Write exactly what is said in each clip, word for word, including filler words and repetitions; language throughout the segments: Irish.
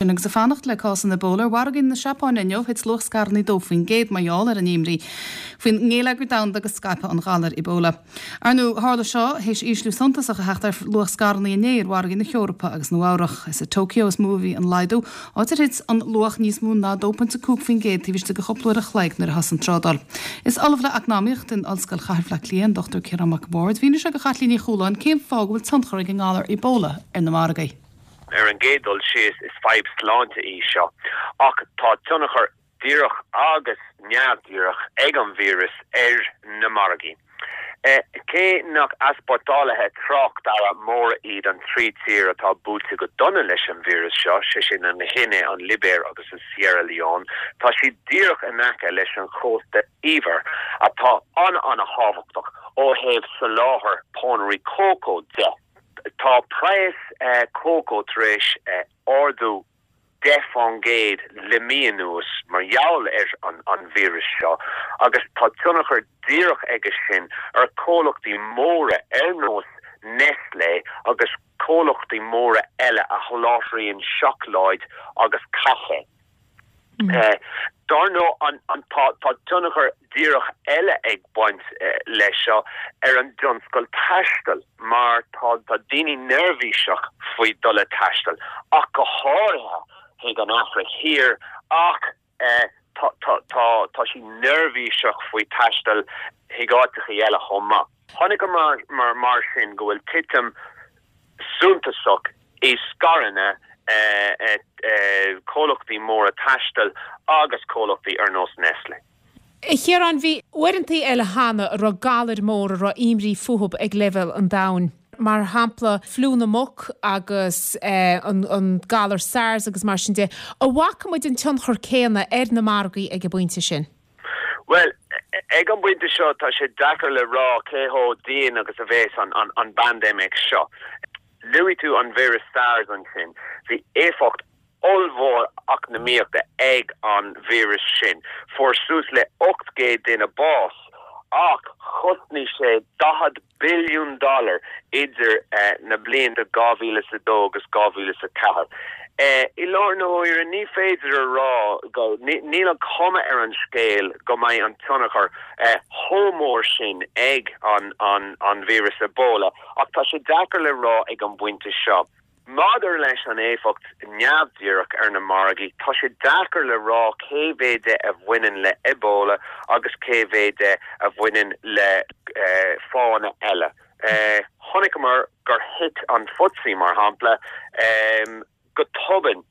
Agus ag fanacht le cás an Ebola ar mhargaí na Seapáine inniu thit luach scaireanna dó faoin gcéad mar gheall ar an imní faoin ngeilleagar domhanda go scaipfeadh an galar Ebola. Ar ndóigh tharla seo théis ísliú suntasach a theacht ar luach scaireanna inné ar mhargaí na hEorpa agus Nua-Eabhrac. Is i Tokyo is mó a bhí an laghdú áit ar thit an luach níos mó ná dó pointe cúig faoin gcéad taobh istigh de chúpla uair a chloig nuair a thosaigh an trádáil. Is ollamh le eacnamaíocht in Ollscoil Chathair Bhaile Átha Cliath an Dochtúir Ciarán Mac Bhaird, mhínigh sé do Chaitlín Ní Chualáin cén fáth go bhfuil tionchar ag an ngalar Ebola ar na margaí. Ar an gcéad dul síos is fadhb sláinte í seo, ach tá tionchar díreach agus neamhdhíreach ag an víreas ar na margaí. Cé nach easpórtálaithe tráchtearra móra iad an trí tír atá buailte go dona leis an víreas seo, sé sin an Ghuine, an Libéir agus an Sierra Leone, tá siad díreach in aice leis an chósta Eabhair atá an-an-thábhachtach ó thaobh soláthar pónairí cócó de. Tá praghas cócó tar éis ardú deich faoin gcéad le mí anuas mar gheall ar an an víreas seo agus tá tionchar díreach aige sin ar chomhlachtaí móra ar nós Nestlé agus comhlachtaí móra eile a sholáthraíonn seacláid agus caife. Dar ndóigh an tá tionchar díreach eile ag baint leis seo ar an dtionscal taistil mar tá daoine neirbhíseach faoi dul ag taisteal ach go háirithe chuig an Afraic Thiar ach tá siad neirbhíseach faoi taisteal chuig áiteacha eile chomh maith. Chonaiceamar mar sin go bhfuil titim suntasach i scaireanna comhlachtaí móra taistil agus comhlachtaí ar nós Nestlé. A Chiaráin, bhí uaireantaí eile cheana a raibh galair mór a raibh imní fúthu ag leibhéal an domhain, mar shampla fliú na muc agus an galar SARS agus mar sin de. An bhfaca muid an tionchar céanna ar na margaí ag an bpointe sin? Bhuel, ag an bpointe seo tá sé deacair le rá cé chomh dian agus a bheas an an bpaindéimic seo. Luaigh tú an víreas SARS ansin. Bhí éifeacht ollmhór eacnamaíochta ag an víreas sin. Fuair suas le ocht gcéad duine bás ach chosnaigh sé daichead billiún dollar idir na blianta dhá mhíle is a dó agus dhá mhíle is a ceathair. I láthair na huaire ní féidir a rá go, níl an chuma ar an scéal go mbeidh an tionchar chomh mór sin ag an an víreas Ebola ach tá sé deacair le rá ag an bpointe seo. Maidir leis an éifeacht neamhdhíreach ar na margaí, tá sé deacair le rá cé mhéad de a bhaineann le Ebola agus cé mhéad de a bhaineann le fáthanna eile. Chonaiceamar gur thit an F T S E, mar shampla, go tobann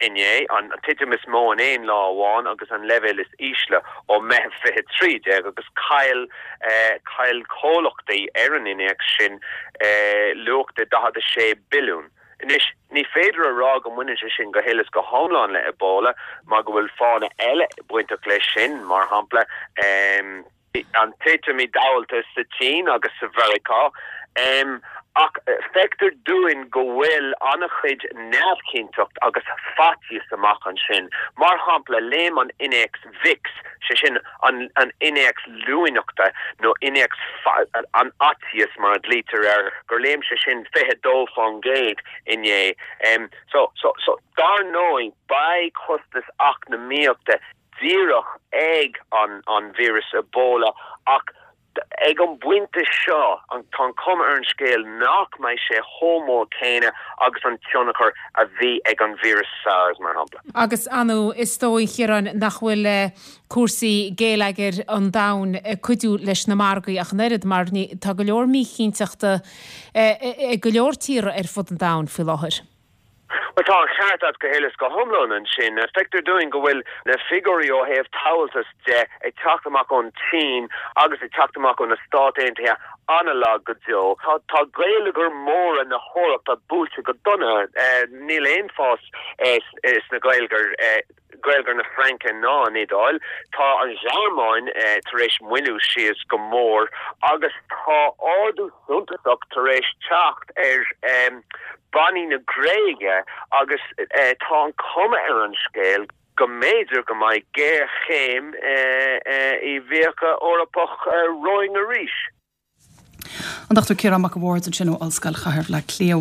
inné, an titim is mó in aon lá amháin agus an leibhéal is ísle ó Meitheamh fiche trí déag agus chaill chaill comhlachtaí ar an innéacs sin luach de daichead a sé billiún. Anois, ní féidir a rá go mbaineann sé sin go huile is go hiomlán le Ebola mar go bhfuil fáthanna eile bainteach leis sin, mar shampla, an titim i dtomhaltas sa tSín agus sa Mheiriceá. Ach feictear dúinn go bhfuil an-chuid neamhchinnteacht agus faitíos amach ansin. Mar shampla, léim an innéacs VIX, sé sin an innéacs luaineachta nó innéacs an fhaitíos mar a ghlaoitear air, gur léim sé sin fiche dó faoin gcéad inné. So, so, so, dar ndóigh, beidh costas eacnamaíochta díreach ag an víreas Ebola ach ag an bpointe seo tá an chuma ar an scéal nach mbeidh sé chomh mór céanna agus an tionchar a bhí ag an víreas SARS, mar shampla. Agus ar ndóigh, is dóigh, a Chiaráin, nach bhfuil cúrsaí geilleagair an domhain ag cuidiú leis na margaí ach an oiread mar tá go leor míchinnteachta ag go leor tíortha ar fud an domhain faoi láthair. Bhuel, tá an ceart agat go huile is go hiomlán ansin. Feictear dúinn go bhfuil na figiúirí ó thaobh tomhaltas de ag teacht amach ón tSín agus ag teacht amach ó na Stáit Aontaithe an-lag go deo. Tá geilleagair mhóra na hEorpa buailte go dona. Níl aon fás sna geilleagair, geilleagar na Fraince ná an Iodáil. Tá an Ghearmáin tar éis moilliú síos go mór agus tá ardú suntasach tar éis teacht ar bannaí na Gréige agus tá an chuma ar an scéal go mb'fhéidir go mbeidh géarchéim i bhfiacha Eorpach romhainn arís. An Dochtúir Ciarán Mac a' Bhaird ansin ó Ollscoil Chathair Bhaile Átha Cliath.